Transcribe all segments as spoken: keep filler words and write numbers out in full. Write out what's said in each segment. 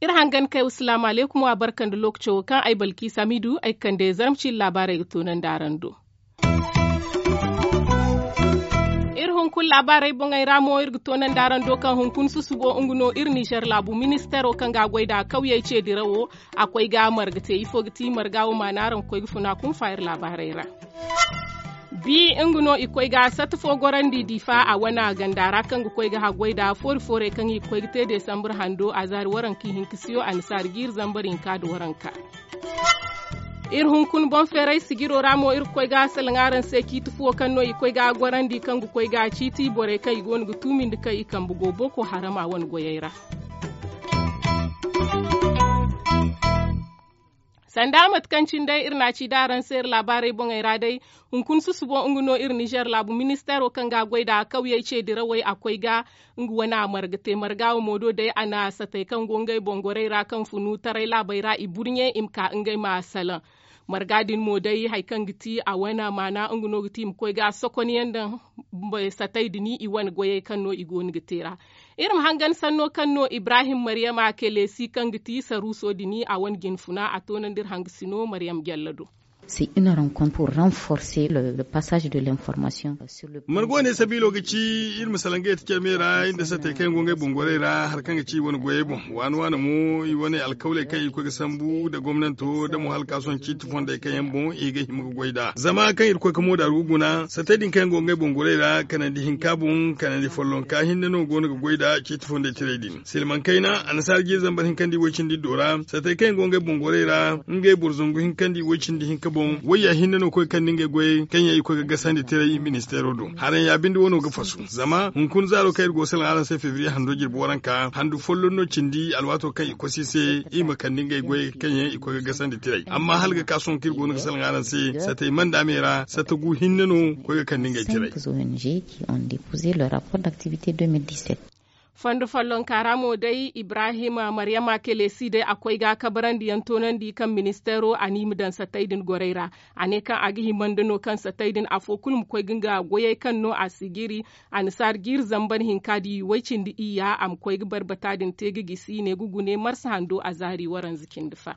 Iri hangan kay wa salaamu alaykum wa barka nda lookaco wo kaŋ ay balki samidu ay ga kande zarma ciiri laabaarey ga toonandi araŋ do. Iri hunkuna laabaarey boŋey ra mo iri ga toonandi araŋ do kaŋ hunkuna susubo nga no iri nizer laabu ministeero kaŋ ga a goy nd'a kawyey ce dirawo. A koy ga marga te ifo ga ti marga wo maana araŋ ga koy ga funa kunfa iri laabaarey ra. Bi nga no i koy ga satta fo gorandi difa a wane ganda ra kaŋ ga koy ga haggoy nd'a foori foorey kaŋ i ga koy ga te desambar hando a zaari waranka ihinka siyo annasaari jiiri zambar hinka nda waranka. Iri hunkuna boŋ feeray sijiro ra mo iri ga koy ga salaŋ araŋ se ciiti fuwo kaŋ no i koy ga gorandi kaŋ ga koy ga ciiti borey kaŋ i go no ga tuumindi kaŋ i kambe go boko harama wane goyey ra. Sanda mate kaŋ cine day iri na a ci da araŋ se iri laabaarey boŋey ra day, hunkuna susubo nga no iri nizer laabu ministeero kaŋ ga a goy nd'a kawyey ce dirawey a koy ga nga wane a marga te marga wo mo do day a na satey kaŋ go ngey boŋ gorey ra kaŋ funu taray laabey ra i burɲe i ma ka ngey ma salaŋ. Marga din mo day hari kaŋ ga ti a wane maana nga no ga ti i ma koy ga sokon yaŋ daŋ satey din i wane goyey kaŋ no i go no ga te ra. Iri ma hangan sanno kaŋ no ibrahim maryama kelesi kaŋ ga ti saruuso din a wane jinfuna a toonandi iri hangasino maryama jalla do. C'est une rencontre pour renforcer le passage de l'information. Margo ne sabiilo ga ci iri ma salaŋ ga yeti care me ra iri nda sattey kaŋ yaŋ go ngey boŋ gorey ra hari kaŋ ga ci i wane goyey boŋ waana waana mo i wane alkawley kaŋ i koy ga sambu nda gomnanto nda mo hala ka sohõ ciiti fondey kaŋ yaŋ boŋ i ga hima ga goy nd'a zama kaŋ iri koy ga mooda iri ga guna sattey din kaŋ yaŋ go ngey boŋ gorey ra kanandi hinka boŋ kanandi follonka hinne no go no ga goy nd'a ciiti fondey tirey din silmaŋ kayna annasaara jiiri zambar hinka nda i woy cindi iddo ra sattey kaŋ yaŋ go ngey boŋ gorey ra ngey boro zangu hinka nda i woy cindi hinka boŋ wayya hinne no koy ga kande ngey goyey kaŋ yaŋ i koy ga gasandi tiray ministeero do haraŋ ya binde wano ga fasu zama hunkuna zaaro kaŋ iri go ga salaŋ araŋ se febriye hando jirbi waranka handu folloŋ no cindi alwaato kaŋ i kosi i se i ma kande ngey goyey kaŋ yaŋ i koy ga gasandi tiray amma hala ga ka sohõ kaŋ iri go no ga salaŋ araŋ se sattey manda me ra satta gu hinne no koy ga kande ngey tiray. Fondo follonka ra mo day ibrahim maryama kelesi day a koy ga kabarandi yaŋ toonandi kaŋ ministeero a ne i ma daŋ sattey din gorey ra. A ne kaŋ a ga hima nda no kaŋ sattey din afo kulu ma koy ga nga goyey kaŋ no a si jiri annasaara jiiri zambar hinka da i way cindi iyya a ma koy ga barbata din te ga gisi ne ga gune marsa hando a zaari waranza cindi fa.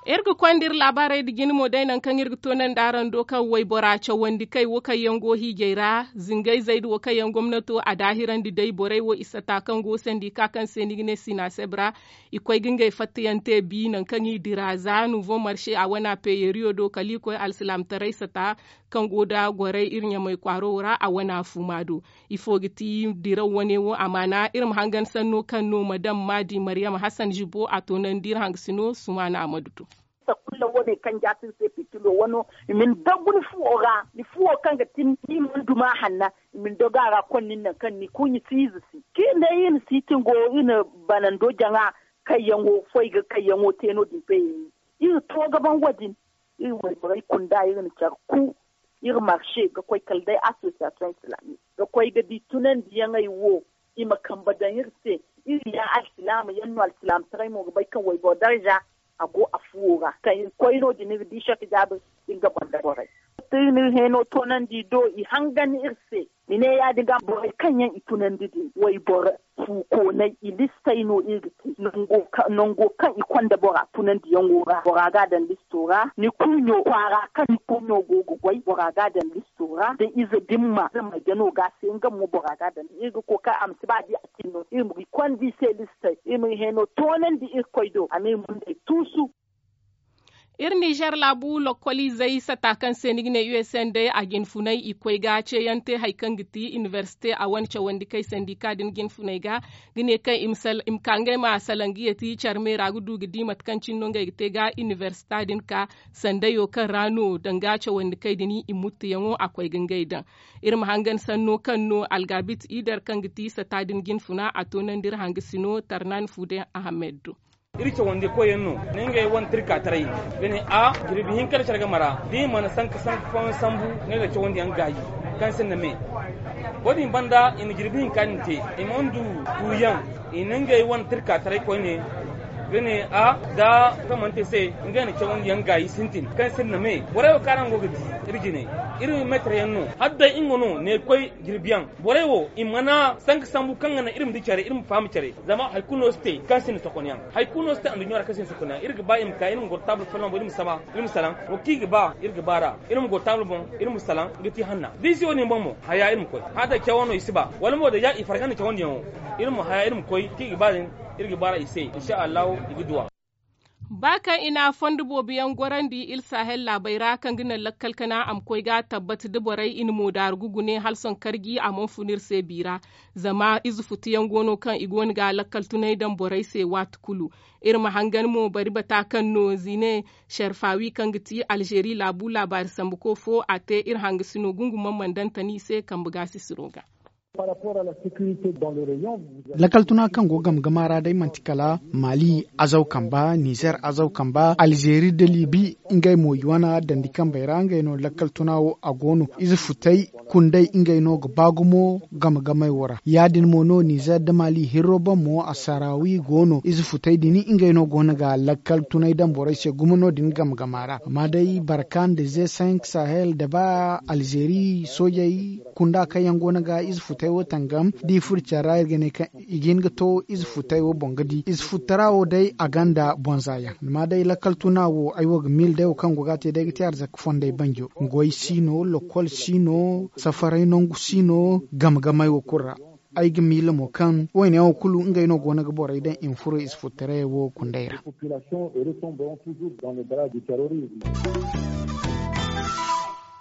Iri ga konda iri laabaarey nda jine mo day nangu kaŋ iri ga toonandi araŋ do kaŋ waybora cawandi kay wo kaŋ yaŋ go hiijay ra zingayzey nda wo kaŋ yaŋ gomnato a daahirandi day borey wo i sata kaŋ go sandika kaŋ se ni ga ne sinaseb ra. I koy ga ngey fattayaŋ te bi nangu kaŋ i dira za nuvo marse a wana peyeriyo do kala i koy alsilaamataray sata kaŋ go nda gorey iri ɲamay kwaaro wo ra a wana fuma do. Ifo ga ti diraw wane wo amaana iri ma hangan sanno kaŋ no madam maadi maryam hasan zibo a toonandi iri hangasino sumaana amadu do. Sakulla wane kaŋ jaati iri se fitilo wano i ma ni dagu ni fuwo ra ni fuwo kaŋ ga tin ni ma ni duma hanna i ma ni dagu a ra konnin naŋ kaŋ ni kurɲi si ize si kaŋ iri ne iri na siitingo iri na banando jaŋa kayyaŋo foy ga kayyaŋo te no- din payey iri to ga ban wo- din. Iri wayborey kunda iri na care ku iri marse ga koy kala day association islamique ga koy ga di tunandiyaŋey wo i ma kambe daŋ iri se. Iri ya alsilaama yaŋ no alsilaamataray mo ga bay kaŋ wayboro darza a go a fuwo ra kaŋ iri koy no- din iri di sek jaabir iri ga banda borey. Iri na iri hẽeno toonandi do i hangan iri se. I ne ya- din ga borey kaŋ yaŋ i tunandi din wayboro fuukoonay i listey no iri ga te. Nango kaŋ i konda bora tunandiyaŋo ra bora ga a daŋ listo ra ni kurɲo kwaara kaŋ ni kurɲo go ga goy bora ga a daŋ listo ra da ize dimma zama jano ga se nga mo bora ga a daŋ iri ga kookari a ma si ba di a tin no iri ma i konda i se listey iri ma i hẽeno toonandi irkoy do a ma iri mundey tuusu. Iri nizer laabu lokkoliizey sata kaŋ se ni ga ne usn day a jinfunay i koy ga ceeyaŋ te hari kaŋ ga ti inibersite a wane cawandi kay sandika din jinfunay ga ga ne kaŋ i ma ka ngey ma salaŋ ga yeti care me ra ga du ga di mate kaŋ cine no ngey ga te ga inibersita din ka sandayo kaŋ ra no danga cawandi kay din i muttuyaŋo a koy ga ngey daŋ. Iri ma hangan sanno kaŋ no algabit ider kaŋ ga ti sata din jinfuna a toonandi iri hangasino tarnan fuude ahamed do. Iri cawandi koyyaŋ no ne ngey wane tirka taray ga ne a jirbi hinka nda care game ra da i mana sanka sanka fooyaŋ sambu ngey ga cawandiyaŋ gaayi kaŋ sinda me. Wo- din banda i na jirbi hinka din te i mana du tuuyaŋ i na ngey wane tirka taray koyne. Ga ne a da kamante se, nga na cawandiyaŋ gaayi sintin kaŋ sinda me. Borey wo kaŋ araŋ go ga di, iri jine, iri meetar yaŋ no. Hala day nga no ne koy jirbiyaŋ. Borey wo i mana sanka sambu kaŋ ga naŋ iri ma di care, iri ma faham care. Zama hari kulu no si te kaŋ sinda sokonyaŋ. Hari kulu no si te anduɲɲo ra kaŋ sinda sokonyaŋ. Iri ga ba i ma ka, iri ma goro taabul folloŋ boŋ, iri ma saba, iri ma salaŋ. Wo kaŋ i ga ba, iri ga ba ra. Iri ma goro taabul boŋ, iri ma salaŋ, ga ti hanna. Da i si wo-din boŋ mo, haya iri ma koy. Hala day cawo no i si ba. Wala mo da ya i farga nda cawandiyaŋo. Iri ma haya, iri ma koy, kaŋ i ga ba din, iri ga ba ra i se. Insha Allahu, i ga duwa. Ba kaŋ i na fondo boobo yaŋ gorandi iri Sahel laabey ra, kaŋ ga naŋ lakkal kana a ma koy ga tabbat da borey i na mo daaru ga gune hala sohõ karji a mana fun iri se bi ra. Zama ize futu yaŋ go no kaŋ i go no ga lakkal tunay daŋ borey se waati kulu. Iri ma hangan mo bari bata kaŋ no Zine Sharfawi, kaŋ ga ti Alzeeri laabu laabaari sambuko fo, a te iri hangasino gungumaŋ mana daŋ tani se kambe gaasisiro ga. Lakkal tuna kaŋ go game game ra day manti kala Mali azaw kamba, Nizer azaw kamba, Alzeeri nda Libi, ngey mo i wane dandi kambey ra ngey no lakkal tuna wo a go no. Ize futay kundey ngey no ga ba gumo game game wo ra. Ya-din mo no Nizer nda Mali hirro boŋ mo a sarawi go no. Ize futay din ngey no go no ga lakkal tunay daŋ borey se gumo no-din game game ra. Amma day Barka nda Ze cinq Sahel nda ba Alzeeri soojey kunda kaŋ yaŋ go no ga ize futay wo tangam, da i furo care ra, iri ga ne kaŋ i ga hin ga to ize futay wo boŋ ga di. Ize futara wo day, a gonda bonza yaŋ. Amma day lakkal tuna wo, ay wo ga miila day wo kaŋ go ga te day ga te arzaka fondey banjo. Goy si no, lokol si no, safaray nangu si no, game gamey wo kulu ra. Ay ga miila mo kaŋ wayne yaŋ wo kulu ngey no go no ga borey daŋ i ma furo ize futtaray wo kundey ra.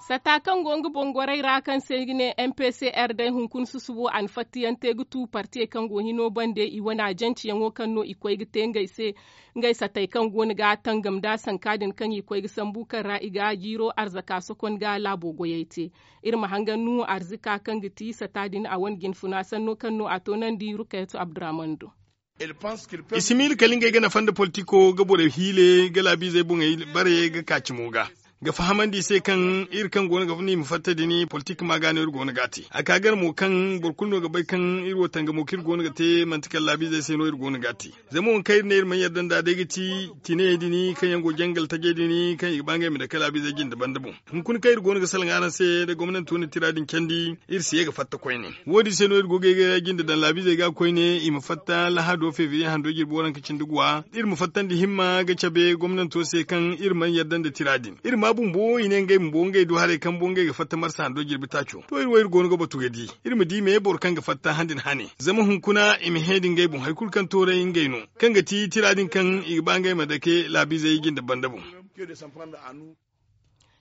Sata kaŋ go nga boŋ gorey ra, kaŋ se i ga ne M P C R day, hunkuna susubo a na fattayaŋ te ga tu partiyey kaŋ go hino bande, i wane ajanceyaŋo kaŋ no i koy ga te ngey se, ngey satey kaŋ go no ga tangam nda sanka din kaŋ i koy ga sambu, kaŋ ra i ga jiiro arzaka sokon ga laabo goyey te. Iri ma hangan Nuhu Arzika kaŋ ga ti sata din a wane jinfuna sanno kaŋ no a toonandi Rukayatu Abdurrahman do. I si miila kala ngey ga nafa nda politiko ga borey hiile ga laabiizey boŋey bare ga ka cimo ga. Ga fahamandi i se kaŋ iri kaŋ go no ga funa i ma fatta din politik ma ga no iri go no ga a te. A ka gar mo kaŋ boro kulu no ga bay kaŋ iri wo tangamo kaŋ iri go no ga te manti kala laabiizey se no iri go no ga a te. Zama wo kaŋ iri ne iri mana yadda nd'a day ga ti tinayey din kaŋ yaŋ go jangal tajey din kaŋ i ga ba ngey ma dake laabiizey jinde banda boŋ. Hunkuna kaŋ iri go no ga salaŋ araŋ se da gomnanto na tira din candi, iri si ye ga fatta koyne. Wo-din se no iri go ga ye ga jinde daŋ laabiizey ga koyne, i ma fatta lahado febriye hando jirbi waranka cindi guwa. Iri ma fattandi himma ga cabe gomnanto se kaŋ iri mana yadda nda tira din. Iri ma bumbo i ne ngey bumbo ngey du haray kaŋ bo ngey ga fatta marsa hando jirbi taaco. To, iri wo iri go no ga batu ga di. Iri ma di me boro kaŋ ga fatta handin hane. Zama hunkuna i ma hẽ da ngey boŋ hari kulu kaŋ tooray ngey no. Kaŋ ga ti tira din kaŋ i ga ba ngey ma dake laabiizey jinde banda boŋ.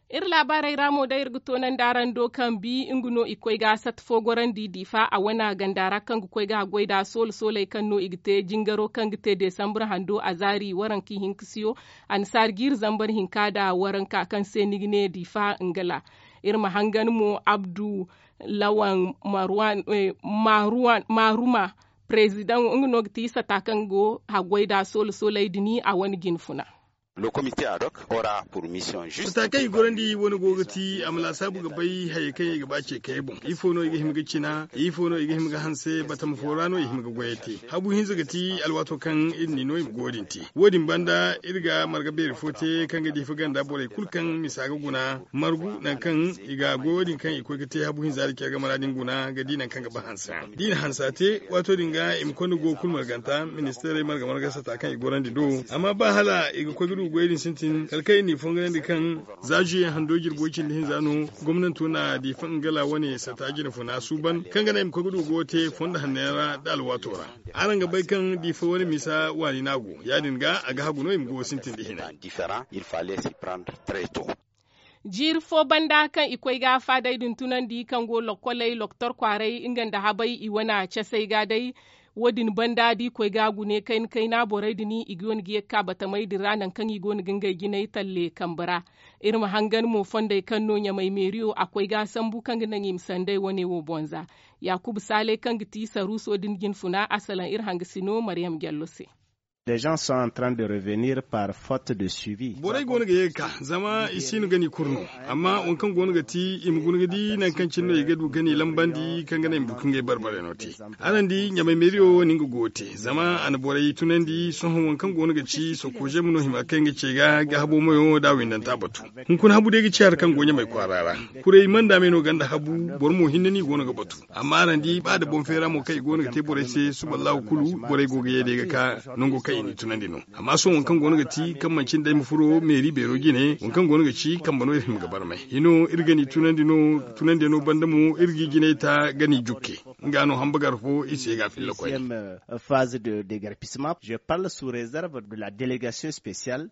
Iri laabaarey ra mo day iri ga toonandi araŋ do kaŋ bi nga no i koy ga sata fo gorandi Difa a wana ganda ra kaŋ ga koy ga haggoy da soola sooley kaŋ no i ga te jingaro kaŋ ga te Desambur hando a zaari waranka hinka siyo annasaari jiiri zambar hinka da waranka kaŋ se ni ga ne Difa Ngala. Iri ma hangan mo Abdu Lawan Marwan, eh, Marwan, Maruma, Prezidaŋ, nga no ga ti sata kaŋ go haggoy da soola sooley din a wane jinfuna. Sata kaŋ i gorandi wane go ga ti a ma laasaabu ga bay hayey kaŋ i ga ba ce kayey boŋ. Ifo no i ga hima ga cina, ifo no i ga hima ga hanse, batama fo ra no i hima ga goyey te. Habu hinza ga ti alwaato kaŋ iri n'i no i ma goyo din te. Wo-din banda iri ga marga beeri fo te kaŋ ga Difa ganda borey kulu kaŋ misa ga guna margu nangu kaŋ i ga goyo din kaŋ i koy ga te habu hinza da care game ra din guna ga di nangu kaŋ ga ba hanse. Da i na hansa te, waato din ga i ma konda go kulu marganta ministeerey marga marga sata kaŋ i gorandi do. Amma ba hala i ga koy ga du goyey din sintin kala kaŋ i n'i fonganandi kaŋ za juye hando jirbo cindi hinza no gomnanto na Difa Ngala wane sata jinfuna suuban kaŋ ga naŋ i ma koy ga du goyo te fondo hanno yaŋ ra nda alwaato ra. Araŋ ga bay kaŋ Difa wane misa waani no a go. Ya-din ga a ga hagu no i ma goyo sintin da hina. Jiiri fo banda kaŋ i koy ga faadey din tunandi kaŋ go lokkoley loktor kwaaray nga nda habay i wane casey ga day. Wo-din banda da i koy ga gune kayna kayna borey din i ga wane ga ye ga ka batamey din ra nangu kaŋ i go no ga ngey jinay talle kambe ra. Iri ma hangan mo fondey kaŋ no ɲamay meeriyo a koy ga sambu kaŋ ga naŋ i ma sanday wane wo boŋ za. Yaakuba saale kaŋ ga ti saruuso din jinfuna a salaŋ iri hangasino mariyam jallo se. Des gens sont en train de revenir par faute de suivi. Borey go no ga ye ga ka zama i si no ga ni kuru no. Amma waŋ kaŋ go no ga ti i ma guna ga di nangu kaŋ cine no i ga du ga ni lambandi kaŋ ga naŋ i ma du ga ngey barbare no te. Araŋ di ɲamay meeriyo wo no nga go ga te zama a na borey tunandi sohõ waŋ kaŋ go no ga ci sokoze ma no hima kaŋ ga ce ga ga habo mayo da windanta batu. Hunkuna habu day ga ci hari kaŋ go ɲamay kwaara ra. Kuray manda me no ganda habu. Boro mo hinne no i go no ga batu. Amma araŋ di ba nda boŋ feera mo kaŋ i go no ga te borey se suba allahu kulu borey go ga ye day ga ka nango kaŋ i n'i tunandi no. Amma sohõ waŋ kaŋ go no ga ti kaŋ manci nda ay ma furo meeri beero jine waŋ kaŋ go no ga ci kambe no iri hima ga barmay hino iri ga n'i tunandi no. Tunandiyaŋo banda mo iri g'i jinay ta ga n'i jukke. Nga no hamba gar fo i se ga filla koyne. Phase de déguerpissement je parle sous réserve de la délégation spéciale.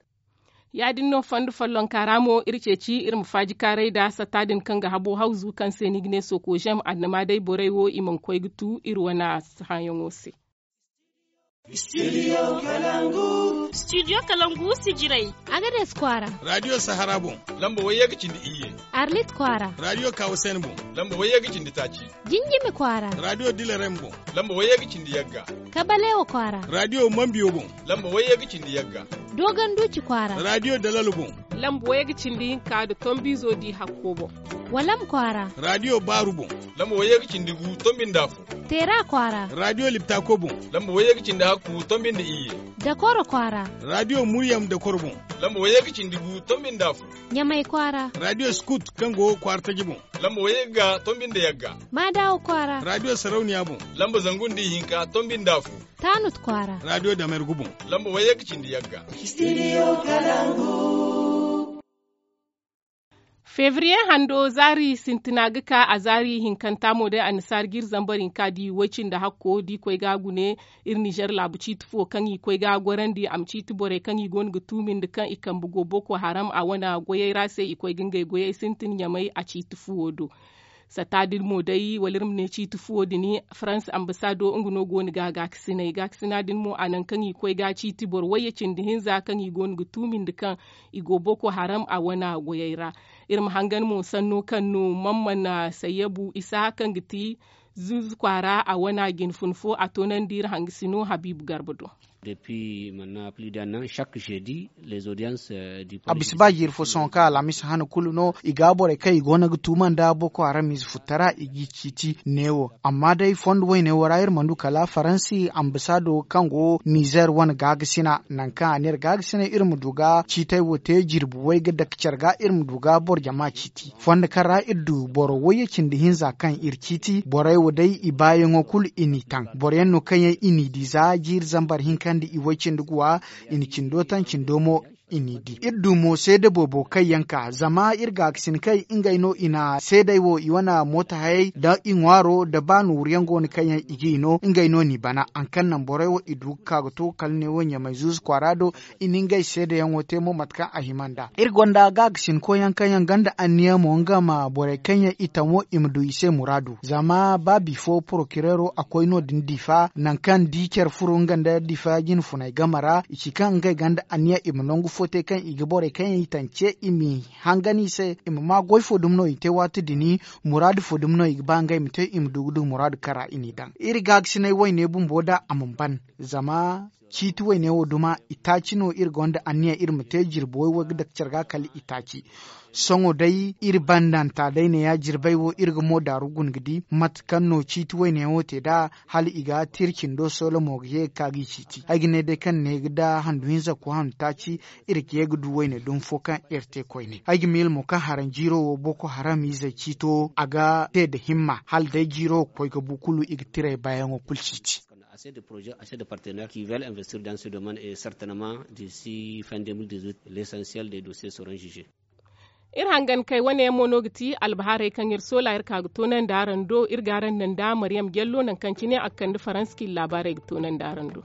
Ya- din no fondo follonka ra mo iri ceeci iri ma faajikaaray nda satta din kaŋ ga habo hawzu kaŋ se ni ga ne soko zem annama day borey wo i mana koy ga tu iri wane hããyaŋo se. Studio kalangu sijirey. Agades kwaara. Radio sahara boŋ. Lamba wayye ga cindi iyye. Arlit kwaara. Radio kawasen boŋ. Lamba wayye ga cindi taaci. Jinjimi kwaara. Radio dilarem boŋ. Lamba wayye ga cindi yagga. Kabalewa kwaara. Radio mambiyo boŋ. Lamba wayye ga cindi yagga. Dogon duci kwaara. Radio dalalo boŋ. Lamba wayye ga cindi hinka nda tombizo di hakko boŋ. Walam kwaara. Radio baaru boŋ. Lamba wayye ga cindi gu tombi nda afo. Teera kwaara. Radio liptako boŋ. Lamba wayye ga cindi hakku tombi nda iyye. Dakoro kwaara. Radio muryam dakoro boŋ. Lamba wayye ga cindi gu tombi nda afo. Ɲamay kwaara. Radio skut kaŋ go kwaara taji boŋ. Lamba wayye ga tombi nda yagga. Maadawa kwaara. Radio sarauniya boŋ. Lamba zangu nda ihinka tombi nda afo. Taanut kwaara. Radio damergu boŋ. Lamba wayye ga cindi yagga. Studio kalangu. Febriye hando zaari sintina ga ka a zaari hinkanta mo day annasaara ga iri zambar hinka di way-cindi hakko da i koy ga a gune. Iri nizer laabu ciiti fo kaŋ i koy ga a gorandi a ma ciiti borey kaŋ i go no ga tuumi nda kaŋ i kambe go boko haram a wane goyey ra se i koy ga ngey goyey sintin ɲamay a ciiti fuwo do. Satta din mo day wala iri ma ne ciiti fuwo din faransa ambasaado nga no go no ga a gaakasinay gaakasina din mo a naŋ kaŋ i koy ga a ciiti boro wayye cindi hinza kaŋ i go no ga tuumi nda kaŋ i go boko haram a wane goyey ra. Iri ma hangan mo sanno kaŋ no mamman sayyabu isa kaŋ ga ti zuuzu kwaara a wane jine fun fo a toonandi iri hangasino habiibu garba do. Depuis maintenant plus d'un an chaque jeudi les audiences du a bisa ba jiiri fo sohõ kaŋ alhamis hane kulu no i ga borey kaŋ i go no ga tuuma nda boko haram ize futtara i g'i ciiti neewo. Amma day fondo woyne wo ra iri mana du kala faransi ambasaado kaŋ go nizer wane gaagasina nangu kaŋ a ne iri gaagasina iri ma du ga ciitey wo te jirbi way ga dake care ga iri ma du ga boro jama ciiti fondo kaŋ ra iri du boro wayye cindi hinza kaŋ iri ciiti borey wo day i baayaŋo kulu i n'i taŋ boro yaŋ no kaŋ yaŋ i n'i di za jiiri zambar hinka nda i way cindi guwa. I na cindo taŋ cindo mo i n'i di iri du mo seede boobo kaŋ yaŋ ka zama iri gaakasin kay ngey no i na seedey wo i wane mooto hayey nda i ŋwaaro nda ba nooru yaŋ go no kaŋ yaŋ i g'i no ngey no n'i bana haŋ kaŋ naŋ borey wo i du ga ka ga to kala ne wo ɲamay zuuzu kwaara do. I na ngey seedeyaŋo te mo mate kaŋ a hima nd'a iri gonda gaakasinkoyaŋ kaŋ yaŋ gonda anniya mo nga ma borey kaŋ yaŋ i taŋ wo i ma du i se muraadu zama ba bifo porokireero a koy no- din diifa nangu kaŋ di care furo nga nda diifa jine funay game ra i ci kaŋ ngey gonda anniya i ma nangu fo te kaŋ i ga borey kaŋ yaŋ i taŋ ce i m'i hangan i se i ma ma goy fo dumi no i te waati din muraadu fo dumi no i ga ba ngey ma te i ma du ga du muraadu kaŋ ra i n'i daŋ iri gaakasinay wayne bumbo nd'a a mana ban zama ciiti wayne wo duma itaaci no iri gonda anniya iri ma te jirbi way way ga dake care ga kala itaaci. Sohõ day iri bandanta day ne ya jirbey wo iri ga mo daaru guna ga di mate kaŋ no ciiti wayne wo te nd'a hala i ga te iri cindo soola mo ga ye ga ka g'i ciiti ay ga ne day kaŋ ne ga da handu hinza ko handu taaci. Iri ga ye ga du wayne dumi fo kaŋ iri te koyne ay ga miila mo kaŋ haranjiiro wo boko haram izey ciito a ga te nda himma hala day jiiro ga koy ga bu kulu i ga tirey baayaŋo kulu ciiti. Assez de projets, assez de partenaires qui veulent investir dans ce domaine et certainement d'ici fin deux mille dix-huit, l'essentiel des dossiers seront jugés. Iri hangan kay wane yaŋ mo no ga ti albahaarey kaŋ iri soola iri ka ga toonandi araŋ do iri ga araŋ naŋ nda mariyam jallo nangu kaŋ cine a ga kande faransa kaŋ iri laabaarey ga toonandi araŋ do.